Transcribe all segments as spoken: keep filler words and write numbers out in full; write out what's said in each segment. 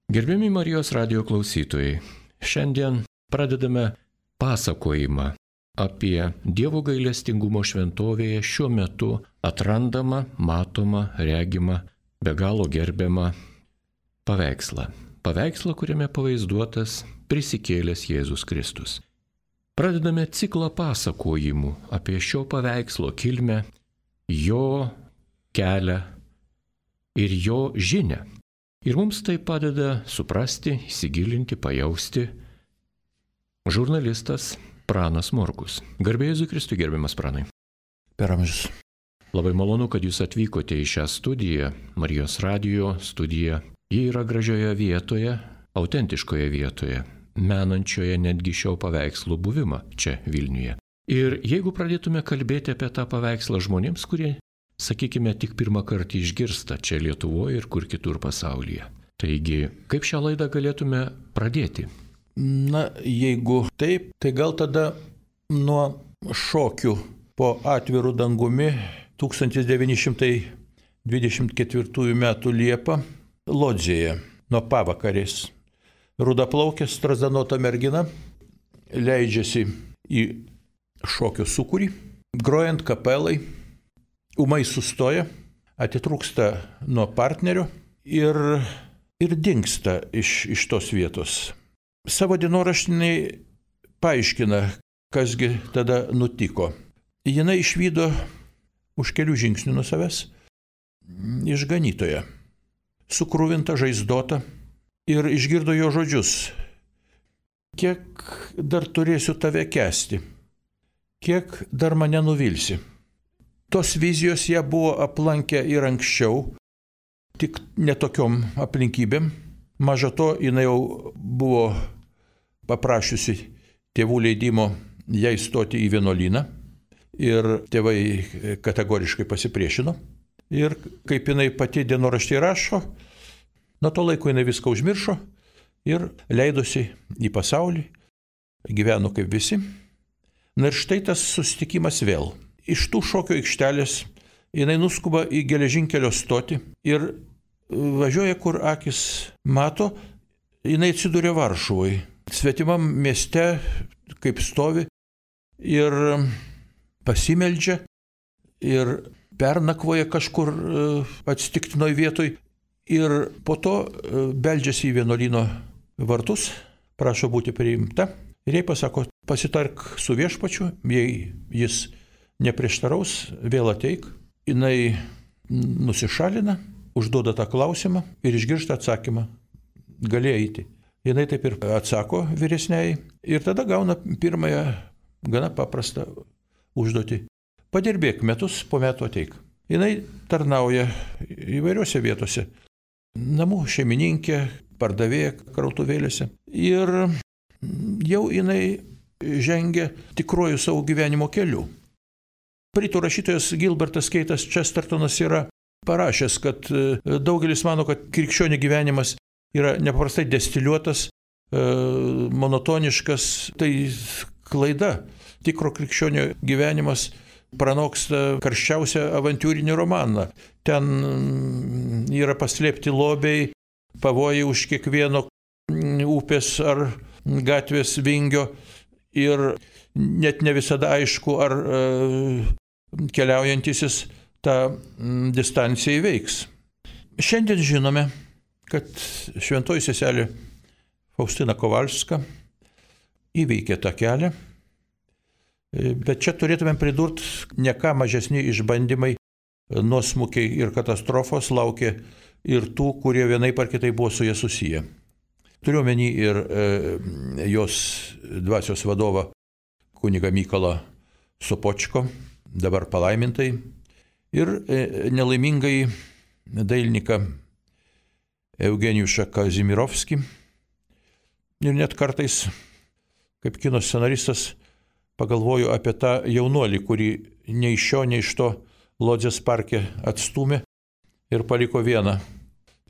Gerbiami Marijos radijo klausytojai, šiandien pradedame pasakojimą apie Dievo gailestingumo šventovėje šiuo metu atrandamą, matomą, regimą, be galo gerbiamą paveikslą. Paveikslą, kuriame pavaizduotas prisikėlęs Jėzus Kristus. Pradedame ciklą pasakojimų apie šio paveikslo kilmę, jo kelią ir jo žinią. Ir mums tai padeda suprasti, įsigilinti, pajausti žurnalistas Pranas Morkus. Garbė Jėzui Kristui, gerbiamas Pranai. Per amžius. Labai malonu, kad jūs atvykote į šią studiją, Marijos radijo studiją. Ji yra gražioje vietoje, autentiškoje vietoje, menančioje netgi šio paveikslo buvimą čia Vilniuje. Ir jeigu pradėtume kalbėti apie tą paveikslą žmonėms, kurie, sakykime, tik pirmą kartą išgirsta čia Lietuvoje ir kur kitur pasaulyje. Taigi, kaip šią laidą galėtume pradėti? Na, jeigu taip, tai gal tada nuo šokių po atvirų dangumi tūkstantis devyni šimtai dvidešimt ketvirtųjų metų Liepą Lodzėje nuo pavakarės. Rudaplaukė strazdanota mergina leidžiasi į šokio sūkurį, grojant kapelai, ūmai sustoja, atitrūksta nuo partnerio ir, ir dingsta iš, iš tos vietos. Savo dienoraštiniai paaiškina, kasgi tada nutiko. Jinai išvydo už kelių žingsnių nuo savęs išganytoją, sukrūvintą, žaizdotą, ir išgirdo jo žodžius: kiek dar turėsiu tave kęsti, kiek dar mane nuvilsi. Tos vizijos ją buvo aplankę ir anksčiau, tik netokiom aplinkybėm. Maža to, jinai jau buvo paprašiusi tėvų leidimo jai stoti į vienuolyną ir tėvai kategoriškai pasipriešino. Ir kaip jinai pati dienoraštyje rašo, nuo to laiko jinai viską užmiršo ir leidosi į pasaulį, gyveno kaip visi. Na ir štai tas susitikimas vėl. Iš tų šokio aikštelės jinai nuskuba į geležinkelio stotį ir važiuoja, kur akis mato. Jinai atsiduria Varšuvoje, svetimam mieste, kaip stovi, ir pasimeldžia ir pernakvoja kažkur atsitiktinoj vietoj. Ir po to beldžiasi į vienuolyno vartus, prašo būti priimta. Ir jai pasako: pasitark su viešpačiu, jei jis neprieštaraus, vėl ateik. Jinai nusišalina, užduoda tą klausimą ir išgirsta atsakymą: gali eiti. Jinai taip ir atsako vyresniai ir tada gauna pirmąją gana paprastą užduotį: padirbėk metus, po metų ateik. Jinai tarnauja įvairiose vietose. Namų šeimininkė, pardavėja krautuvėlėse. Ir jau jinai žengia tikruoju savo gyvenimo keliu. Britų rašytojas Gilbertas Keitas Chestertonas yra parašęs, kad daugelis mano, kad krikščionių gyvenimas yra nepaprastai destiliuotas, monotoniškas. Tai klaida. Tikro krikščionio gyvenimas pranoksta karščiausią avantiūrinį romaną. Ten yra paslėpti lobiai, pavojai už kiekvieno upės ar gatvės vingio ir net ne visada aišku, ar keliaujantisis tą distanciją įveiks. Šiandien žinome, kad šventoji seselė Faustina Kovalska įveikė tą kelią, bet čia turėtume pridurti, ne ką mažesni išbandymai, nuosmukiai ir katastrofos laukia ir tų, kurie vienaip ar kitai buvo su jie susiję. Turiu omeny ir e, jos dvasios vadovą kunigą Mykolą Sopočko, dabar palaimintai, ir e, nelaimingai dailininką Eugenijušą Kazimirovskį. Ir net kartais, kaip kino scenaristas, pagalvoju apie tą jaunuolį, kurį nei iš šio, nei iš to Lodzės parke atstūmė ir paliko vieną.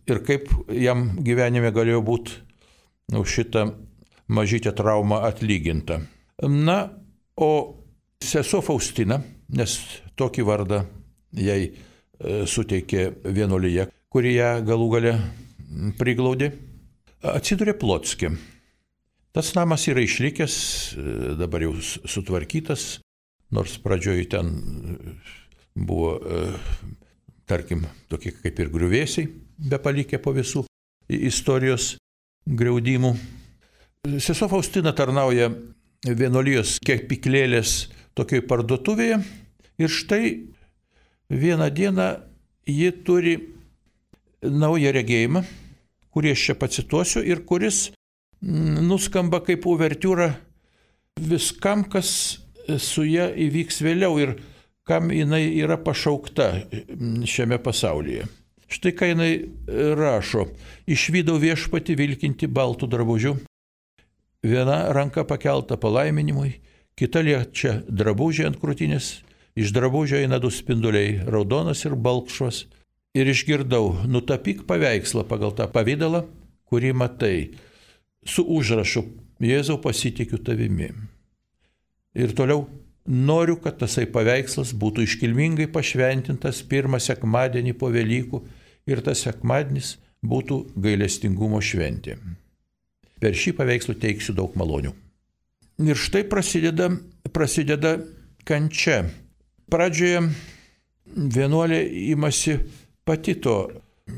Ir kaip jam gyvenime galėjo būti už šitą mažytę traumą atlyginta. Na, o sesuo Faustina, nes tokį vardą jai suteikė vienuolija, kuri ją galų gale priglaudė, atsidūrė Plotske. Tas namas yra išlikęs, dabar jau sutvarkytas, nors pradžioje ten buvo, tarkim, tokie kaip ir griuvėsiai, be palikę po visų istorijos griaudimų. Sesuo Faustina tarnauja vienuolijos kepyklėlės tokioj parduotuvėje ir štai vieną dieną ji turi naują regėjimą, kurį aš čia pacituosiu ir kuris nuskamba kaip uvertiūra viskam, kas su ja įvyks vėliau ir kam jinai yra pašaukta šiame pasaulyje. Štai ką jinai rašo. Išvydau viešpatį vilkinti baltų drabužių, viena ranka pakelta palaiminimui, kita liečia drabužį ant krūtinės, iš drabužio eina du spinduliai, raudonas ir balkšvas, ir išgirdau, nutapyk paveikslą pagal tą pavydalą, kurį matai, su užrašu, Jėzau pasitikiu tavimi. Ir toliau, noriu, kad tasai paveikslas būtų iškilmingai pašventintas pirmą sekmadienį po Velykų ir tas sekmadienis būtų gailestingumo šventė. Per šį paveikslą teiksiu daug malonių. Ir štai prasideda, prasideda kančia. Pradžioje vienuolė imasi pati to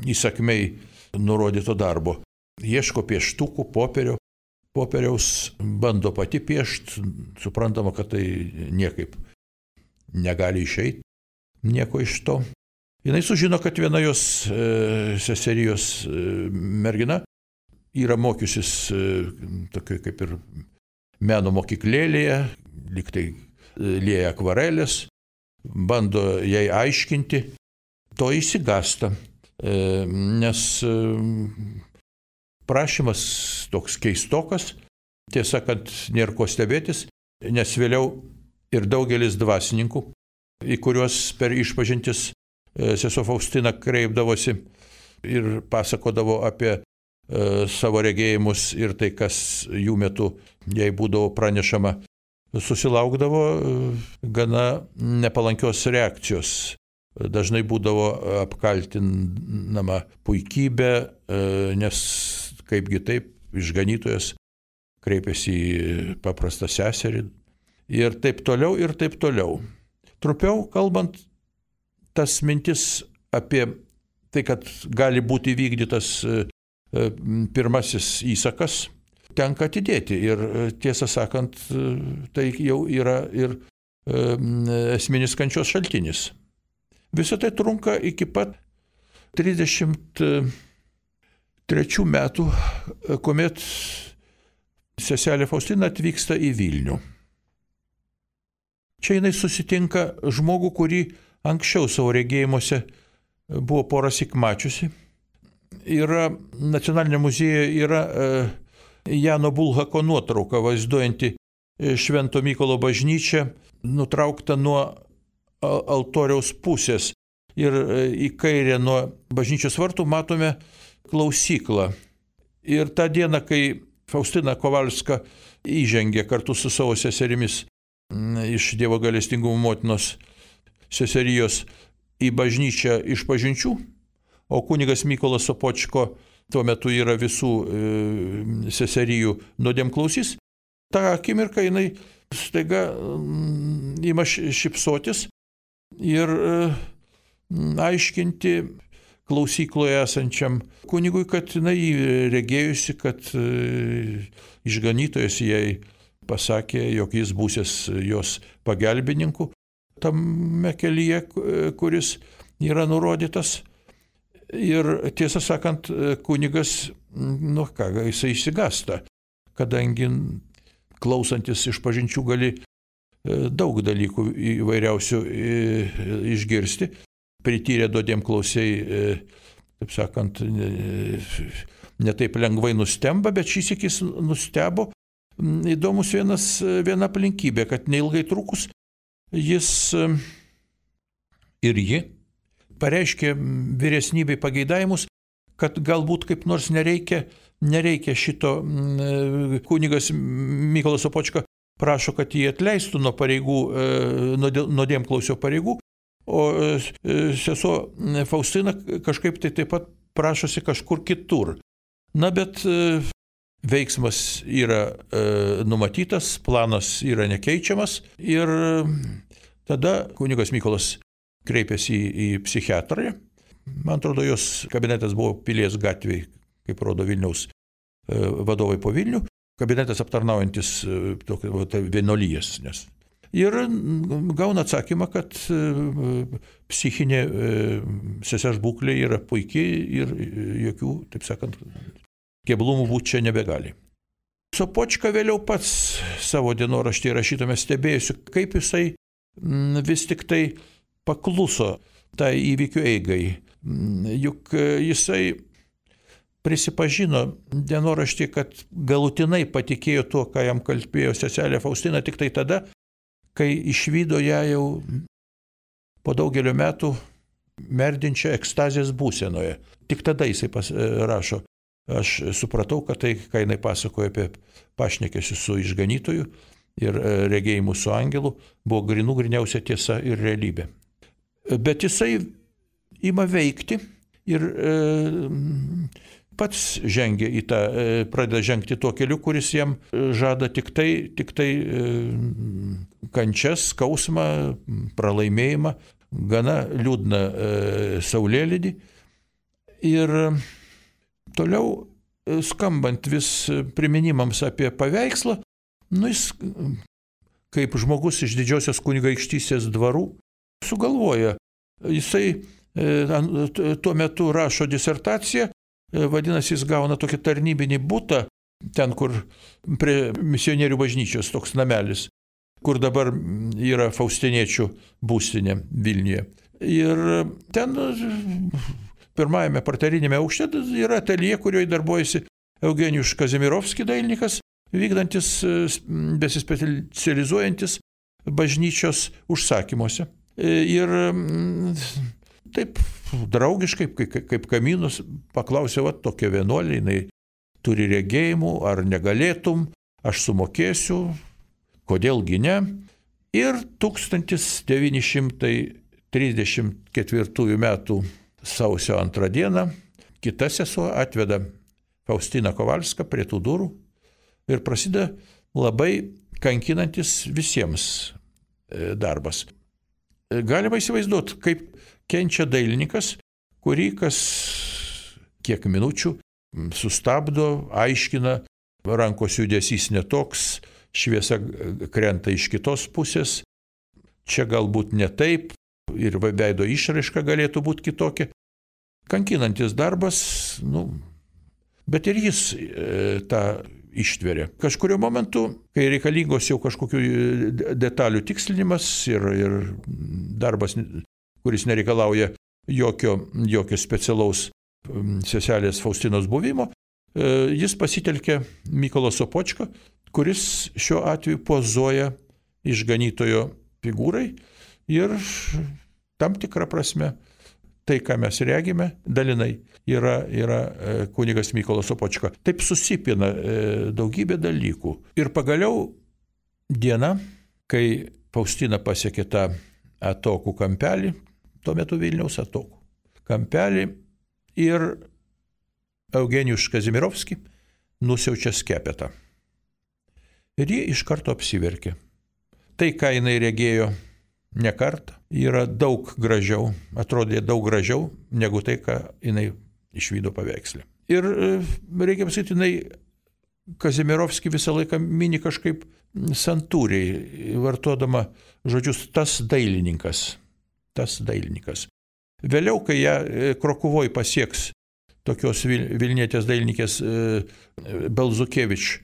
įsakmiai nurodyto darbo. Ieško pieštukų, popierio, popieriaus, bando pati piešti, suprantama, kad tai niekaip negali išeiti, nieko iš to. Jinai sužino, kad viena jos e, seserijos e, mergina yra mokiusis e, tokioj kaip ir meno mokyklėlėje, lyg tai e, lieja akvarelės, bando jai aiškinti, to įsigasta, e, nes e, prašymas toks keistokas, tiesa, kad nėra ko stebėtis, nes vėliau ir daugelis dvasininkų, į kuriuos per išpažintis sesuo Faustina kreipdavosi ir pasakodavo apie e, savo regėjimus ir tai, kas jų metu jai būdavo pranešama, susilaukdavo e, gana nepalankios reakcijos. Dažnai būdavo apkaltinama puikybė, e, nes kaipgi taip, išganytojas kreipėsi į paprastą seserį ir taip toliau, ir taip toliau. Trumpiau kalbant, tas mintis apie tai, kad gali būti įvykdytas pirmasis įsakas, tenka atidėti. Ir tiesą sakant, tai jau yra ir esminis kančios šaltinis. Visą tai trunka iki pat trisdešimt trečių metų, kuomet seselė Faustina atvyksta į Vilnių. Čia jinai susitinka žmogų, kurį anksčiau savo regėjimuose buvo porąsyk mačiusi. Yra Nacionalinė muziejuje yra Jano Bulhako nuotrauka vaizduojanti Švento Mykolo bažnyčią, nutraukta nuo altoriaus pusės. Ir į kairę nuo bažnyčios vartų matome klausyklą. Ir tą dieną, kai Faustina Kovalska įžengė kartu su savo seserimis iš Dievo gailestingumo motinos seserijos į bažnyčią iš pažinčių, o kunigas Mykolas Sopočko tuo metu yra visų e, seserijų nuodėmklausys, tą akimirką jinai staiga m, ima šypsotis ir e, aiškinti klausykloje esančiam kunigui, kad jinai regėjusi, kad e, išganytojas jai pasakė, jog jis būsės jos pagelbininku tame kelyje, kuris yra nurodytas. Ir tiesą sakant, kunigas, nu ką, jisai išsigąsta, kadangi klausantis išpažinčių gali daug dalykų įvairiausių išgirsti. Prityrę nuodėmklausiai, taip sakant, ne taip lengvai nustemba, bet šis sykis nustebo. Įdomus vienas, viena aplinkybė, kad neilgai trukus jis ir ji pareiškė vyresnybei pageidavimus, kad galbūt kaip nors nereikia, nereikia šito, kunigas Mykolas Sopočka prašo, kad jį atleistų nuo pareigų, nuodėmklausio pareigų, o sesuo Faustina kažkaip tai taip pat prašosi kažkur kitur. Na, bet veiksmas yra numatytas, planas yra nekeičiamas ir tada kunigas Mykolas kreipėsi į, į psichiatrą. Man atrodo, jos kabinetas buvo Pilies gatvėje, kaip rodo Vilniaus vadovai po Vilnių, kabinetas aptarnaujantis vienuolijas. Nes. Ir gauna atsakymą, kad psichinė sesers būklė yra puikiai ir jokių, taip sakant, keblumų būti čia nebegali. Sopočka vėliau pats savo dienoraštyje rašytame stebėjusi, kaip jisai vis tik tai pakluso tai įvykių eigai. Juk jisai prisipažino dienoraštį, kad galutinai patikėjo tuo, ką jam kalbėjo seselė Faustina, tik tai tada, kai išvydo ją jau po daugelio metų merdinčią ekstazės būsenoje. Tik tada jisai pas, rašo, aš supratau, kad tai, ką jinai pasakoja apie pašnekesius su išganytoju ir regėjimu su angelu, buvo grinų griniausia tiesa ir realybė. Bet jisai ima veikti ir e, pats žengia į tą, e, pradeda žengti tuo keliu, kuris jam žada tik tai, tik tai e, kančias, skausmą, pralaimėjimą, gana liūdną e, saulėlydį. Ir toliau skambant vis priminimams apie paveikslą, nu jis, kaip žmogus iš didžiosios kunigaikštystės dvarų, sugalvoja. Jisai e, tuo metu rašo disertaciją, e, vadinasi, jis gauna tokį tarnybinį butą, ten, kur prie misionierių bažnyčios toks namelis, kur dabar yra Faustiniečių būstinė Vilniuje. Ir ten pirmajame parteriniame aukšte yra ateljė, kurioje darbuojasi Eugenijus Kazimirovskis dailininkas, vykdantis, besispecializuojantis bažnyčios užsakymuose. Ir taip draugiškai, kaip, kaip kaimynus, paklausė, va, tokia vienuolė, jinai turi regėjimų, ar negalėtum, aš sumokėsiu, kodėlgi ne. Ir tūkstantis devyni šimtai trisdešimt ketvirtųjų metų sausio antrą dieną kita sesuo atveda Faustiną Kovalską prie tų durų ir prasideda labai kankinantis visiems darbas. Galima įsivaizduoti, kaip kenčia dailininkas, kurį kas kiek minučių sustabdo, aiškina, rankos judesys netoks, šviesa krenta iš kitos pusės, čia galbūt ne taip ir veido išraiška galėtų būti kitokia. Kankinantis darbas, nu, bet ir jis e, tą ištveria. Kažkurio momentu, kai reikalingos jau kažkokių detalių tikslinimas ir, ir darbas, kuris nereikalauja jokio, jokio specialaus seselės Faustinos buvimo, jis pasitelkia Mykolą Sopočką, kuris šiuo atveju pozuoja išganytojo figūrai ir tam tikrą prasme tai, ką mes regime, dalinai yra, yra kunigas Mykolas Sopočka. Taip susipina daugybė dalykų. Ir pagaliau diena, kai Faustina pasiekė tą atokų kampelį, tuo metu Vilniaus atokų kampelį, ir Eugenijus Kazimirovskis nusiaučia skepetą. Ir jie iš karto apsiverkė. Tai, ką jinai regėjo ne kartą, yra daug gražiau, atrodė daug gražiau, negu tai, ką jinai išvydo paveikslė. Ir reikia pasakyti, jinai Kazimirovskį visą laiką mini kažkaip santūriai, vartodama žodžius tas dailininkas, tas dailininkas. Vėliau, kai ją Krokuvoj pasieks tokios vilnietės dailininkės Balzukevič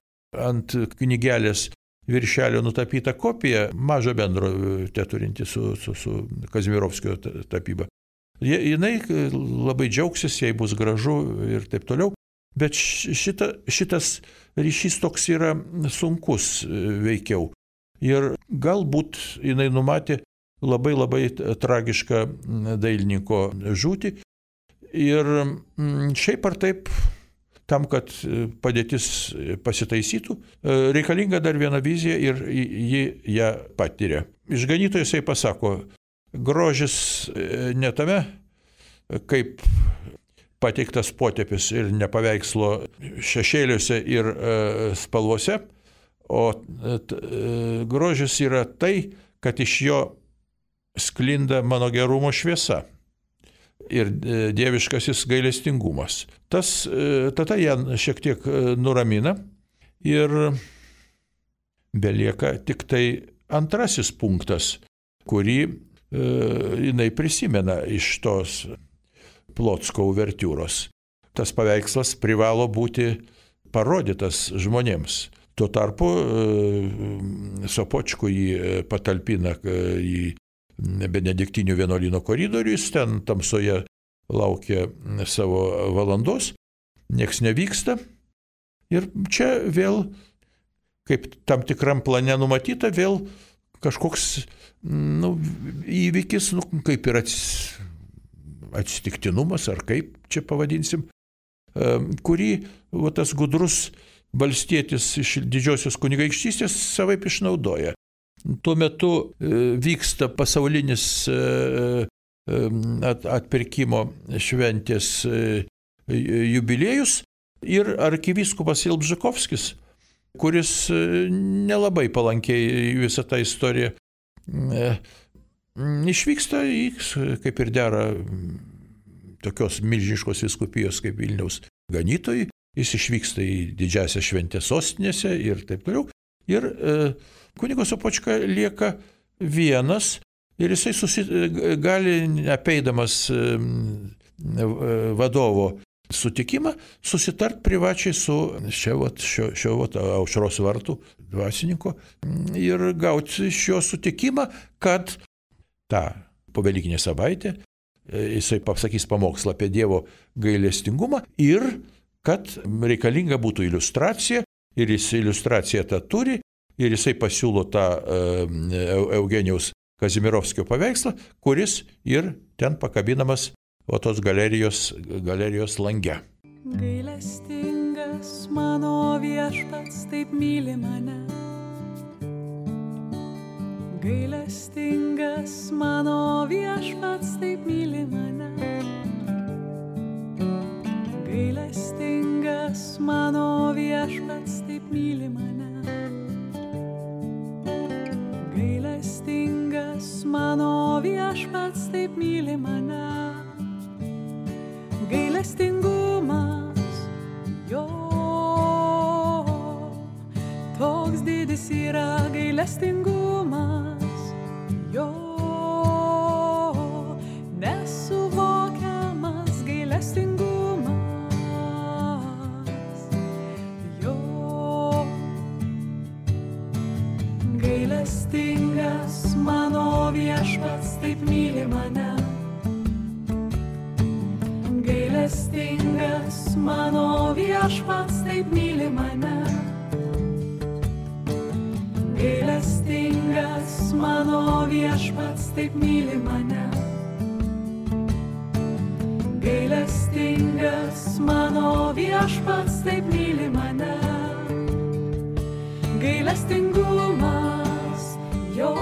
ant knygelės viršelio nutapyta kopija, mažo bendro te turinti su, su, su Kazimirovskio tapyba. Jinai labai džiaugsis, jai bus gražu ir taip toliau, bet šita, šitas ryšys toks yra sunkus veikiau. Ir galbūt jinai numatė labai labai tragišką dailininko žūtį. Ir šiaip ar taip, tam, kad padėtis pasitaisytų, reikalinga dar viena vizija ir ji ją patiria. Išganytojas jai pasako, grožis ne tame, kaip pateiktas potėpis ir ne paveikslo šešėliuose ir e, spalvose, o e, grožis yra tai, kad iš jo sklinda mano gerumo šviesa ir dieviškasis gailestingumas. Tas tada ją šiek tiek nuramina ir belieka tik tai antrasis punktas, kurį e, jinai prisimena iš tos Plocko uvertiūros. Tas paveikslas privalo būti parodytas žmonėms. Tuo tarpu e, Sopočko jį patalpina į Benediktinių vienuolyno koridorių, jis ten tamsoje laukia savo valandos, nieks nevyksta. Ir čia vėl, kaip tam tikram plane numatyta, vėl kažkoks nu, įvykis, nu, kaip ir atsitiktinumas, ar kaip čia pavadinsim, kurį va, tas gudrus valstietis iš didžiosios kunigaikštystės savaip išnaudoja. Tuo metu vyksta pasaulinis atpirkimo šventės jubiliejus ir arkivyskupas Jalbžykovskis, kuris nelabai palankiai visą tą istoriją išvyksta į, kaip ir dera tokios milžiniškos vyskupijos kaip Vilniaus ganytojai, jis išvyksta į didžiąsias šventės sostinėse ir taip toliau. Ir e, kunigas Sopočka lieka vienas ir jisai susi, gali, apeidamas e, vadovo sutikimą, susitart privačiai su šio, šio, šio Aušros vartų dvasininko ir gauti iš jo sutikimą, kad tą povelykinę savaitę jisai pasakys pamokslą apie Dievo gailestingumą ir kad reikalinga būtų iliustracija. Ir jis iliustraciją tą turi, ir jisai pasiūlo tą Eugenijaus Kazimirovskio paveikslą, kuris ir ten pakabinamas o tos galerijos, galerijos lange. Gailestingas mano viešpats taip myli mane. Gailestingas mano viešpats taip myli mane. Gailestingas mano viešpats taip myli mane. Gailestingas mano viešpats taip myli mane. Gailestingumas jo toks didis yra, gailestingumas jo nesuvokiamas, gailestingumas jo. Gailestingas mano viešpats taip myli mane. Gailestingas mano viešpats taip myli mane. Gailestingas mano viešpats taip myli mane. Gailestingas mano viešpats taip myli mane. Gailestingumas jo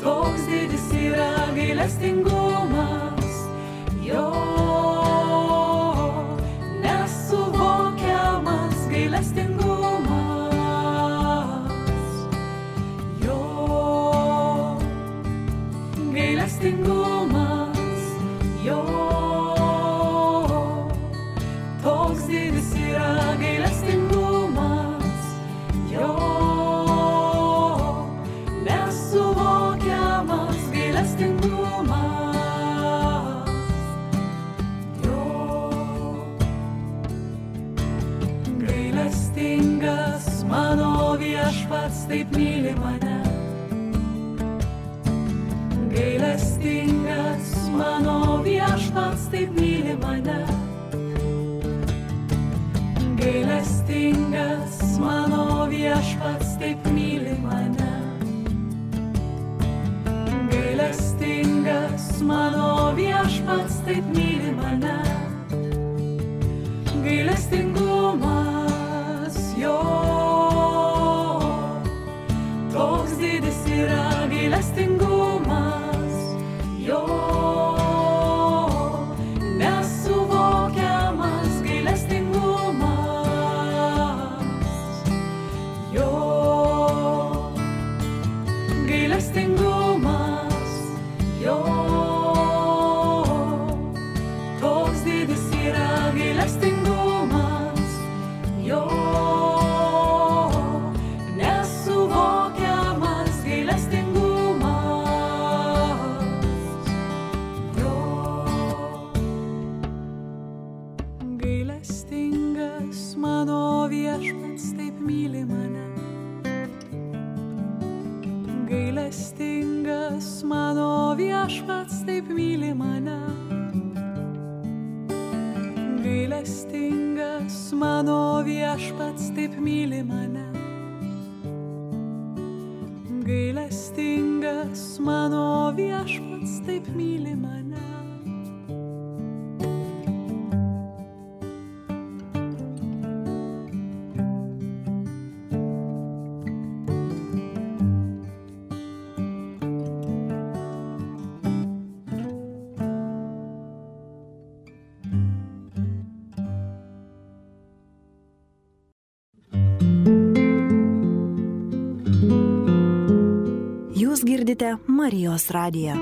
toks didis yra, gailestingumas jo nesuvokiamas, gailestingumas jo. Gailestingumas jo toks didis yra, gailestingumas jo nesuvokiamas, gailestingumas jo. Gailestingas mano viešpats taip myli mane. Gailestingas mano viešpats taip myli mane. Gailestingas mano viešpats taip myli mane. Gailestingas mano viešpats taip myli mane. Gailestingumas jo toks didis yra, gailestingumas jo Gailestingas mano viešpats taip myli mane. Gailestingas mano viešpats taip myli mane. Gailestingas mano viešpats taip myli mane. Gailestingas mano viešpats taip myli mane. Jūs girdite Marijos radiją.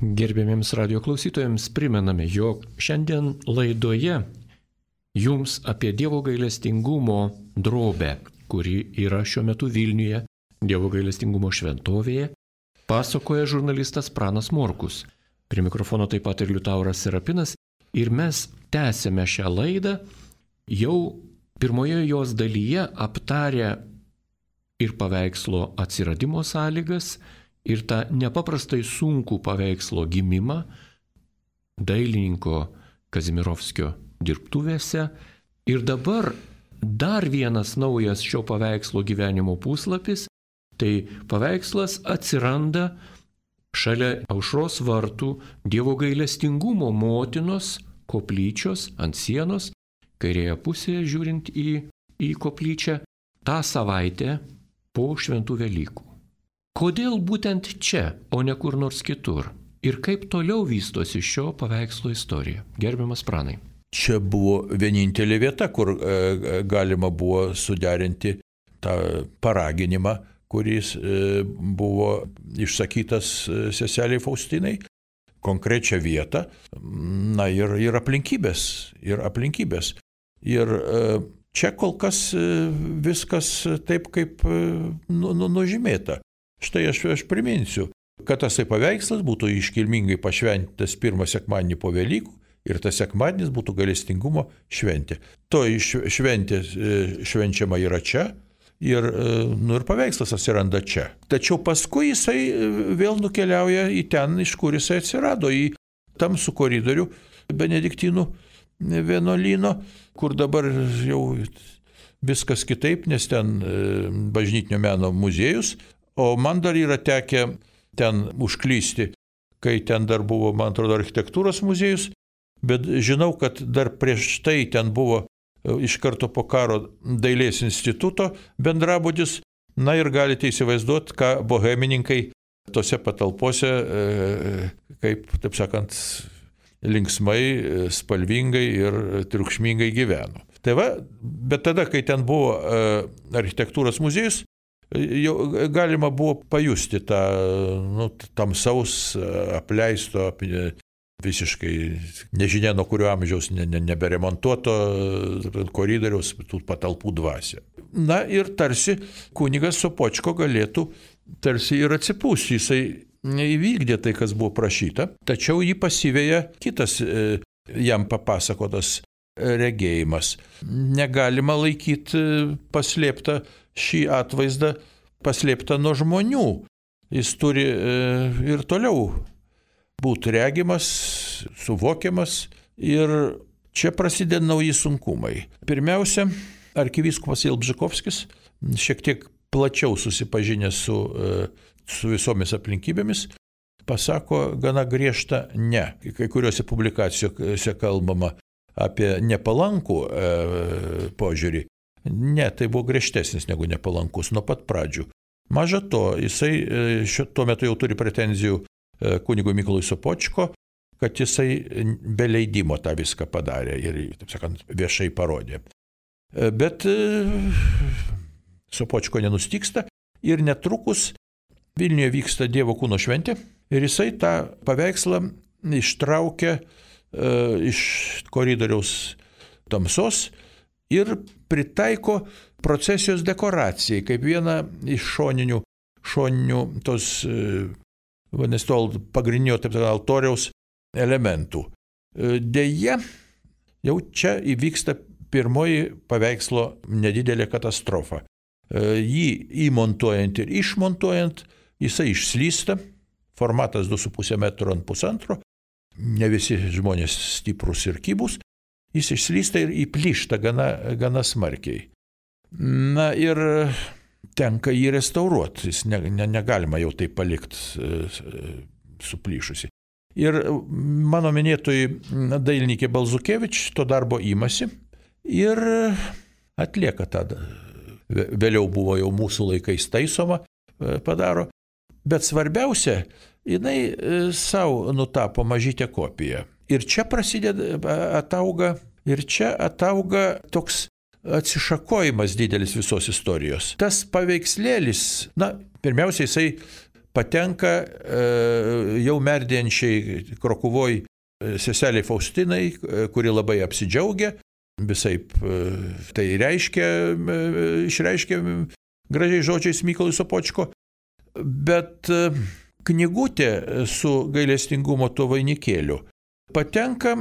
Gerbėmiems radio klausytojams primename, jog šiandien laidoje jums apie Dievo gailestingumo drobę, kuri yra šiuo metu Vilniuje, Dievo gailestingumo šventovėje, pasakoja žurnalistas Pranas Morkus. Prie mikrofono taip pat ir Liutauras Serapinas. Ir mes tęsėme šią laidą, jau pirmoje jos dalyje aptarę ir paveikslo atsiradimo sąlygas, ir tą nepaprastai sunkų paveikslo gimimą dailininko Kazimirovskio dirbtuvėse. Ir dabar dar vienas naujas šio paveikslo gyvenimo puslapis. Tai paveikslas atsiranda šalia Aušros vartų Dievo gailestingumo motinos koplyčios ant sienos, kairėje pusėje žiūrint į, į koplyčią, tą savaitę po Šventų Velykų. Kodėl būtent čia, o ne kur nors kitur? Ir kaip toliau vystosi šio paveikslo istorija? Gerbiamas Pranai. Čia buvo vienintelė vieta, kur e, galima buvo suderinti tą paraginimą, kuris buvo išsakytas seseliai Faustinai, konkrečią vietą, na ir, ir aplinkybės, ir aplinkybės. Ir čia kol kas viskas taip, kaip nu, nu, nužymėta. Štai aš, aš priminsiu, kad tasai paveikslas būtų iškilmingai pašventintas pirmą sekmadienį po Velykų ir tas sekmadienis būtų gailestingumo šventė. To šventė švenčiama yra čia. Ir, nu, ir paveikslas atsiranda čia. Tačiau paskui jisai vėl nukeliauja į ten, iš kur jisai atsirado, į tamsų koridorių Benediktinų vienuolyno, kur dabar jau viskas kitaip, nes ten bažnytinio meno muziejus, o man dar yra tekę ten užklysti, kai ten dar buvo, man atrodo, architektūros muziejus, bet žinau, kad dar prieš tai ten buvo iš karto po karo dailės instituto bendrabudis. Na ir galite įsivaizduoti, ką bohemininkai tose patalpose, kaip, taip sakant, linksmai, spalvingai ir triukšmingai gyveno. Tai va, bet tada, kai ten buvo architektūros muziejus, jau galima buvo pajusti tą, nu, tamsaus, apleisto, visiškai nežinia nuo kurio amžiaus ne, ne, neberemontuoto koridoriaus tų patalpų dvasią. Na ir tarsi kunigas Sopočko galėtų tarsi ir atsipūsti, jisai įvykdė tai, kas buvo prašyta, tačiau jį pasiveja kitas e, jam papasakotas regėjimas. Negalima laikyti paslėptą šį atvaizdą, paslėptą nuo žmonių. Jis turi e, ir toliau būti regimas, suvokiamas, ir čia prasideda nauji sunkumai. Pirmiausia, arkivyskupas Jalbžykovskis, šiek tiek plačiau susipažinęs su, su visomis aplinkybėmis, pasako gana griežtą ne. Kai kuriuose publikacijose kalbama apie nepalankų e, požiūrį. Ne, tai buvo griežtesnis negu nepalankus nuo pat pradžių. Maža to, jisai šio, tuo metu jau turi pretenzijų kunigui Mykolui Sopočko, kad jisai be leidimo tą viską padarė ir, taip sakant, viešai parodė. Bet Sopočko nenustyksta ir netrukus Vilniuje vyksta Dievo kūno šventė ir jisai tą paveikslą ištraukia iš koridoriaus tamsos ir pritaiko procesijos dekoracijai, kaip vieną iš šoninių, šoninių tos, vadinasi, to pagrindinio, taip sakant, altoriaus elementų. Deja, jau čia įvyksta pirmoji paveikslo nedidelė katastrofa. Jį įmontuojant ir išmontuojant, jisai išslysta, formatas du su pusė metro ant pusantro, ne visi žmonės stiprus ir kybus, jis išslysta ir įplyšta gana, gana smarkiai. Na ir tenka jį restauruoti, jis ne, ne, negalima jau taip palikti suplyšusi. Ir mano minėtoji dailininkė Balzukevič to darbo imasi ir atlieka tą. Vėliau buvo jau mūsų laikais taisoma, padaro. Bet svarbiausia, jinai savo nutapo mažytę kopiją. Ir čia prasideda, atauga, ir čia atauga toks atsišakojimas didelis visos istorijos. Tas paveikslėlis, na, pirmiausia, jisai patenka e, jau merdėjančiai Krokuvoj seseliai Faustinai, kuri labai apsidžiaugia, visaip e, tai reiškia, e, išreiškia gražiai žodžiais Mykolui Sopočko, bet e, knygutė su gailestingumo to vainikėliu patenka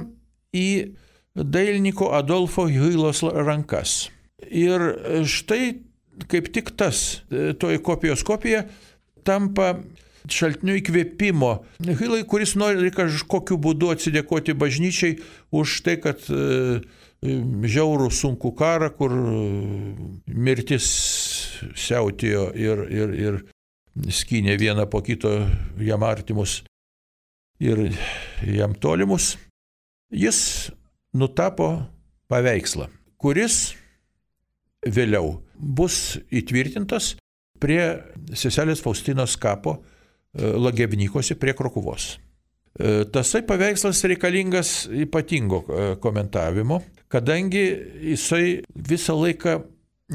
į dailininko Adolfo Hylos rankas. Ir štai kaip tik tas, toji kopijos kopija, tampa šaltiniu įkvėpimo Hylai, kuris nori kažkokiu būdu atsidėkoti bažnyčiai už tai, kad e, žiaurų sunku karą, kur mirtis siautėjo ir, ir, ir skynė vieną po kito jam artimus ir jam tolimus, jis nutapo paveikslą, kuris vėliau bus įtvirtintas prie seselės Faustinos kapo Lagevnykose prie Krokuvos. Tasai paveikslas reikalingas ypatingo komentavimo, kadangi jisai visą laiką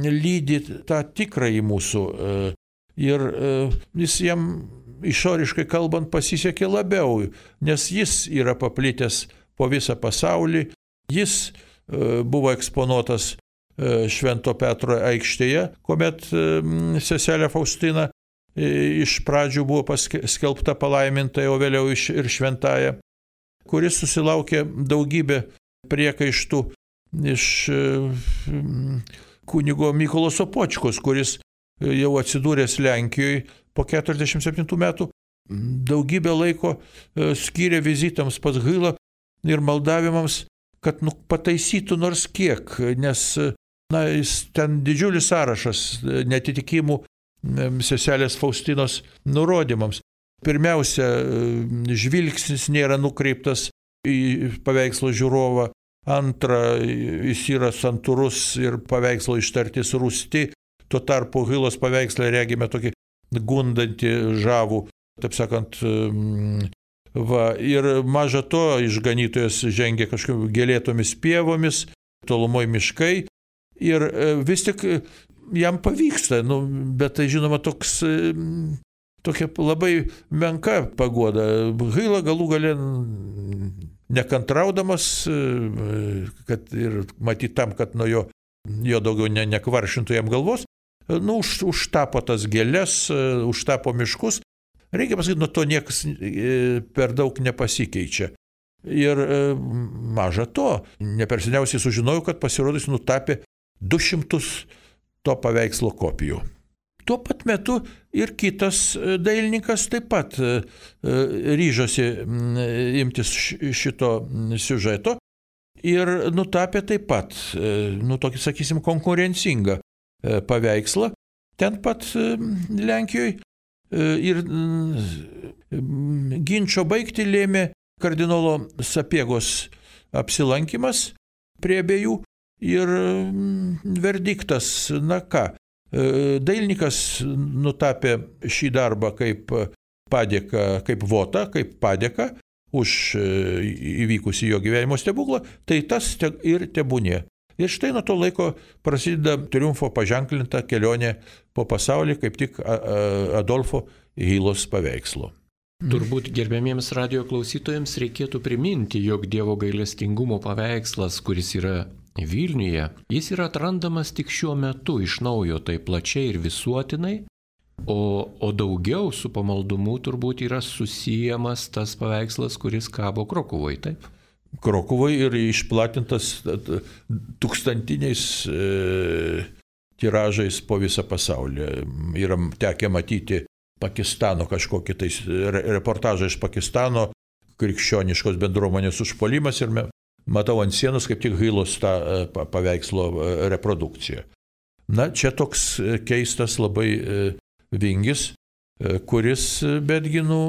lydi tą tikrąjį mūsų ir jis jam išoriškai kalbant pasisekė labiau, nes jis yra paplitęs po visą pasaulį, jis buvo eksponuotas Švento Petro aikštėje, kuomet seselė Faustina iš pradžių buvo paskelbta palaimintoja, o vėliau ir šventąja, kuris susilaukė daugybę priekaištų iš kunigo Mykolo Sopočkos, kuris jau atsidūręs Lenkijoje po keturiasdešimt septintų metų daugybę laiko skyrė vizitams pas Hylą ir maldavimams, kad nu, pataisytų nors kiek, nes na, jis ten didžiulis sąrašas netitikimų seselės Faustinos nurodymams. Pirmiausia, žvilgsnis nėra nukreiptas į paveikslo žiūrovą. Antra, jis yra santūrus ir paveikslo ištartis rūsti. Tuo tarpu Hylos paveikslą regime tokį gundantį žavų, taip sakant, va. Ir maža to, išganytojas žengia kažkokiu gėlėtomis pievomis, tolumoje miškai. Ir vis tik jam pavyksta, nu, bet tai žinoma toks, tokia labai menka paguoda. Hyla galų gale nekantraudamas, kad ir matyt tam, kad nuo jo, jo daugiau ne, nekvaršintų jam galvos, nu, už, užtapo tas gėles, užtapo miškus. Reikia pasakyti, nuo to niekas per daug nepasikeičia. Ir maža to, neperseniausiai sužinojau, kad pasirodys nutapė du šimtus to paveikslo kopijų. Tuo pat metu ir kitas dailininkas taip pat ryžosi imtis šito siužeto ir nutapė taip pat, nu tokį, sakysim, konkurencingą paveikslą, ten pat Lenkijoje. Ir ginčo baigtį lėmė kardinolo Sapiegos apsilankimas prie abiejų ir verdiktas, na ką, dailininkas nutapė šį darbą kaip padėką, kaip votą, kaip padėką už įvykusį jo gyvenimo stebuklą, tai tas te, ir tebūnė. Ir štai nuo to laiko prasideda triumfo paženklinta kelionė po pasaulį, kaip tik Adolfo Hylos paveikslo. Turbūt gerbėmiems radio klausytojams reikėtų priminti, jog Dievo gailestingumo paveikslas, kuris yra Vilniuje, jis yra atrandamas tik šiuo metu iš naujo taip plačiai ir visuotinai, o, o daugiau su pamaldumu turbūt yra susijęs tas paveikslas, kuris kabo Krokuvoje, taip? Krokuvoje ir išplatintas tūkstantiniais e, tiražais po visą pasaulį. Yra tekę matyti Pakistano kažkokį tai reportažą iš Pakistano, krikščioniškos bendruomenės užpuolimas ir matau ant sienos kaip tik Hylos tą paveikslo reprodukciją. Na, čia toks keistas labai vingis, kuris betgi, nu,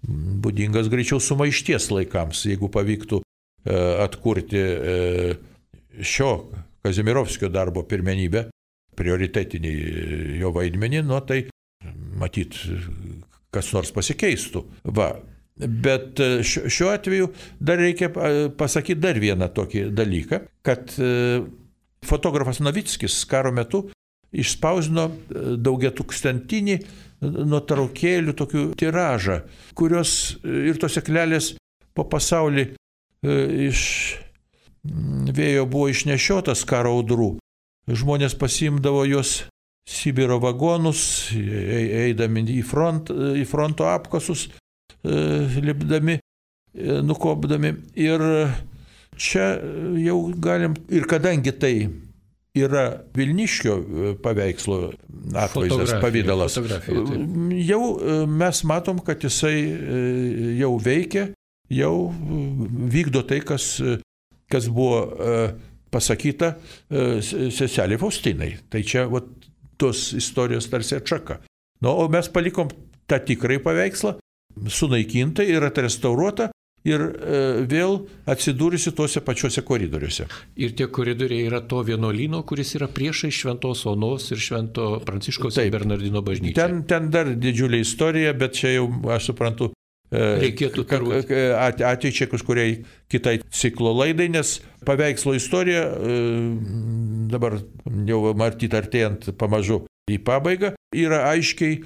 būdingas greičiau sumaišties laikams. Jeigu pavyktų atkurti šio Kazimirovskio darbo pirmenybę, prioritetinį jo vaidmenį, nu, tai matyt, kas nors pasikeistų. Va. Bet šiuo atveju dar reikia pasakyti dar vieną tokį dalyką, kad fotografas Novickis karo metu išspausdino daugiatūkstantinį nuotraukėlių tokių tiražą, kurios ir tos eklelės po pasaulį iš vėjo buvo išnešiotas karo audrų. Žmonės pasiimdavo juos Sibiro vagonus, eidami į, front, į fronto apkasus, lipdami, nukopdami. Ir čia jau galim, ir kadangi tai yra Vilniškio paveikslo atvaizdas, pavidalas, jau mes matom, kad jisai jau veikia, jau vykdo tai, kas, kas buvo pasakyta seselei Faustinai. Tai čia vat, tos istorijos tarsi atšaka. Nu, o mes palikom tą tikrai paveikslą, sunaikinta ir atrestauruota ir e, vėl atsidūrusi tuose pačiuose koridoriuose. Ir tie koridoriai yra to vienuolyno, kuris yra priešai Šventos Onos ir Švento Pranciškaus ir Bernardino bažnyčia. Ten, ten dar didžiulė istorija, bet čia jau, aš suprantu, e, reikėtų turbūt ateičiai kažkuriai kitai ciklo laidai, nes paveikslo istorija e, dabar jau martyt artėjant pamažu į pabaigą, yra aiškiai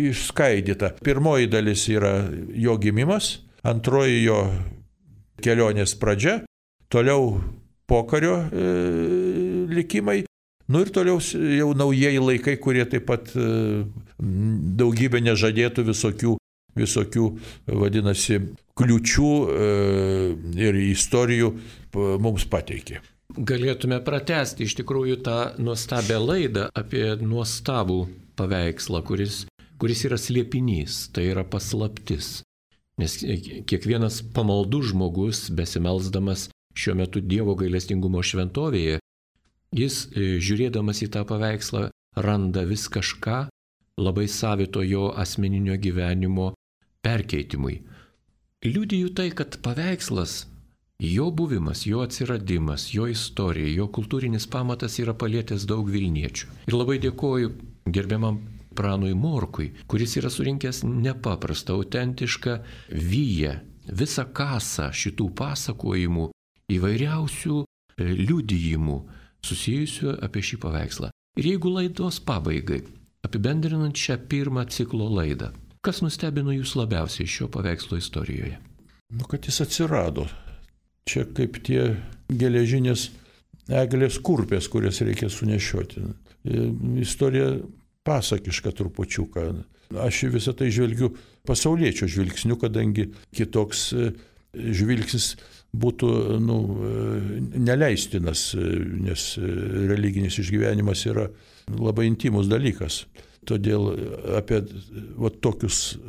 išskaidyta. Pirmoji dalis yra jo gimimas, antroji jo kelionės pradžia, toliau pokario e, likimai, nu ir toliau jau naujieji laikai, kurie taip pat e, daugybė nežadėtų visokių, visokių vadinasi, kliučių e, ir istorijų mums pateikė. Galėtume pratęsti iš tikrųjų tą nuostabią laidą apie nuostabų paveikslą, kuris, kuris yra slėpinys, tai yra paslaptis. Nes kiekvienas pamaldus žmogus, besimelsdamas šiuo metu Dievo gailestingumo šventovėje, jis, žiūrėdamas į tą paveikslą, randa vis kažką labai savito jo asmeninio gyvenimo perkeitimui. Liudiju tai, kad paveikslas, jo buvimas, jo atsiradimas, jo istorija, jo kultūrinis pamatas yra palietęs daug vilniečių. Ir labai dėkoju gerbiamam Pranui Morkui, kuris yra surinkęs nepaprastą, autentišką vyją, visą kasą šitų pasakojimų, įvairiausių liudijimų susijusių apie šį paveikslą. Ir jeigu laidos pabaigai, apibendrinant šią pirmą ciklo laidą, kas nustebino jūs labiausiai šio paveikslo istorijoje? Nu, kad jis atsirado. Čia kaip tie geležinės eglės kurpės, kurias reikia sunešioti. Istorija pasakiška trupučiuką. Aš visą tai žvelgiu pasauliečio žvilgsniu, kadangi kitoks žvilgsnis būtų nu, neleistinas, nes religinis išgyvenimas yra labai intimus dalykas. Todėl apie va, tokius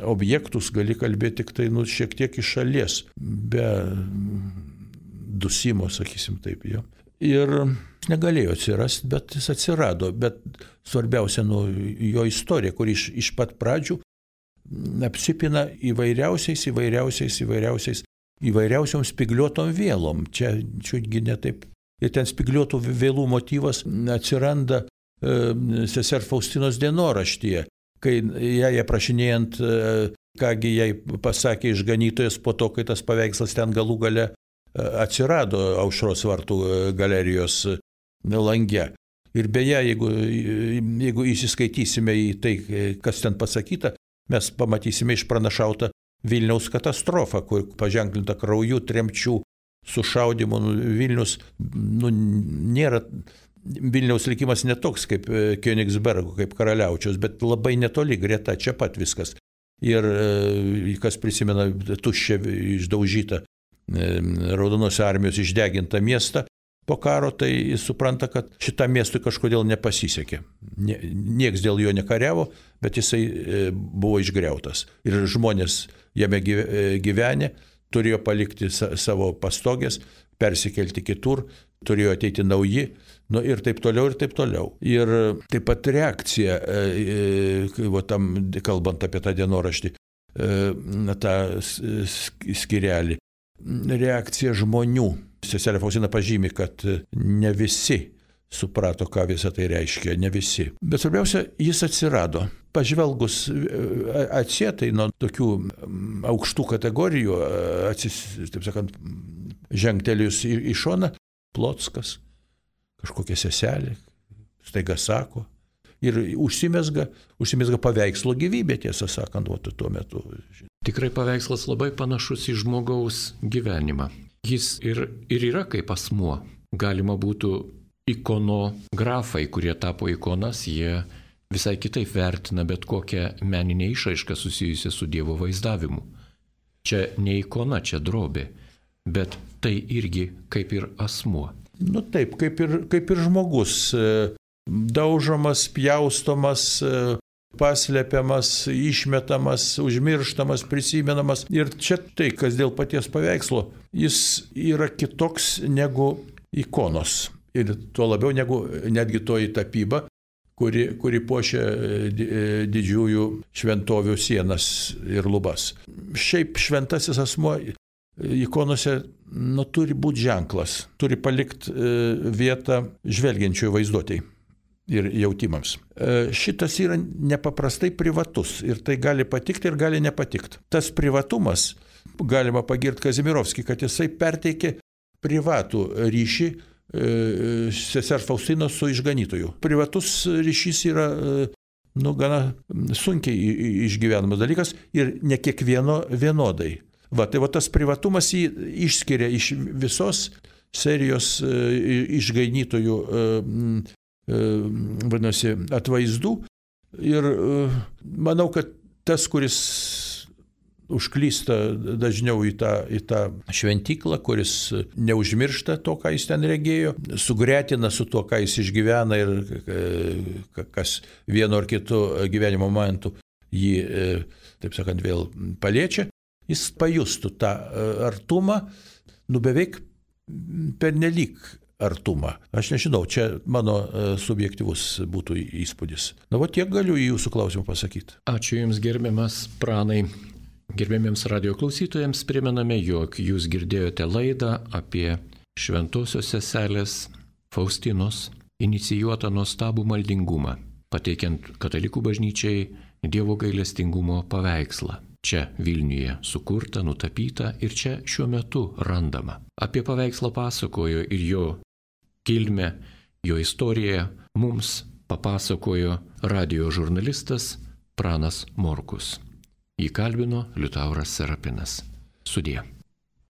objektus gali kalbėti tik tai nu, šiek tiek iš šalies, be dusimo, sakysim taip. Jo. Ir negalėjo atsirasti, bet jis atsirado. Bet svarbiausia, nu, jo istorija, kur iš, iš pat pradžių apsipina įvairiausiais, įvairiausiais, įvairiausiais, įvairiausiom spigliuotom vėlom. Čia čiutgi ne taip. Ir ten spigliuotų vėlų motyvas atsiranda e, sesers Faustinos dienoraštyje, kai jai aprašinėjant, kągi jai pasakė išganytojas po to, kai tas paveikslas ten galų gale atsirado Aušros vartų galerijos lange. Ir beje, jeigu, jeigu įsiskaitysime į tai, kas ten pasakyta, mes pamatysime išpranašautą Vilniaus katastrofą, kur paženklinta krauju, tremčių, sušaudimo. Nu, Vilnius, nu, nėra, Vilniaus likimas netoks kaip Königsbergo, kaip Karaliaučiaus, bet labai netoli, greta, čia pat viskas. Ir kas prisimena tuščią išdaužytą Raudonosios armijos išdegintą miestą po karo, tai jis supranta, kad šitam miestui kažkodėl nepasisekė. Niekas dėl jo nekariavo, bet jisai buvo išgriautas. Ir žmonės jame gyvenę turėjo palikti savo pastogės, persikelti kitur, turėjo ateiti nauji, nu, ir taip toliau, ir taip toliau. Ir taip pat reakcija, va, tam, kalbant apie tą dienoraštį, tą skyrelį, reakcija žmonių. Seselė Faustina pažymi, kad ne visi suprato, ką visą tai reiškia, ne visi. Bet svarbiausia, jis atsirado. Pažvelgus atsietai nuo tokių aukštų kategorijų, atsis, taip sakant, žengtelius į, į šoną, Plockas, kažkokia seselė, staiga sako, ir užsimesga, užsimesga paveikslo gyvybė, tiesą sakant, o tuo metu. Tikrai paveikslas labai panašus į žmogaus gyvenimą. Jis ir, ir yra kaip asmuo. Galima būtų ikonografai, kurie tapo ikonas, jie visai kitaip vertina bet kokią meninę išraišką susijusią su Dievo vaizdavimu. Čia ne ikona, čia drobė, bet tai irgi kaip ir asmuo. Nu taip, kaip ir, kaip ir žmogus, daužomas, pjaustomas, paslepiamas, išmetamas, užmirštamas, prisimenamas. Ir čia tai, kas dėl paties paveikslo, jis yra kitoks negu ikonos. Ir tuo labiau negu netgi toji tapyba, kuri, kuri puošia didžiųjų šventovių sienas ir lubas. Šiaip šventasis asmuo ikonose, nu, turi būti ženklas, turi palikti vietą žvelgiančiųjų vaizduotei ir jautimams. Šitas yra nepaprastai privatus ir tai gali patikti ir gali nepatikti. Tas privatumas, galima pagirti Kazimirovskį, kad jisai perteikė privatų ryšį sesers Faustinos su išganytoju. Privatus ryšys yra, nu, gana sunkiai išgyvenamas dalykas ir ne kiekvieno vienodai. Va, tai va tas privatumas jį išskiria iš visos serijos išganytojų, vadinasi, atvaizdų. Ir manau, kad tas, kuris užklysta dažniau į tą, į tą šventyklą, kuris neužmiršta to, ką jis ten regėjo, sugretina su to, ką jis išgyvena ir kas vienu ar kitu gyvenimo momentu jį, taip sakant, vėl paliečia, jis pajustų tą artumą, nu beveik pernelyg artumą. Aš nežinau, čia mano subjektyvus būtų įspūdis. Na, va tiek galiu į jūsų klausimą pasakyti. Ačiū Jums, gerbiamas Pranai. Gerbėmiems radio klausytojams primename, jog Jūs girdėjote laidą apie šventosios seselės Faustinos inicijuotą nuostabų maldingumą, pateikiant katalikų bažnyčiai Dievo gailestingumo paveikslą. Čia Vilniuje sukurta, nutapyta ir čia šiuo metu randama. Apie paveikslą pasakojo ir jo kilmę, jo istoriją mums papasakojo radio žurnalistas Pranas Morkus. Jį kalbino Liutauras Serapinas. Sudie.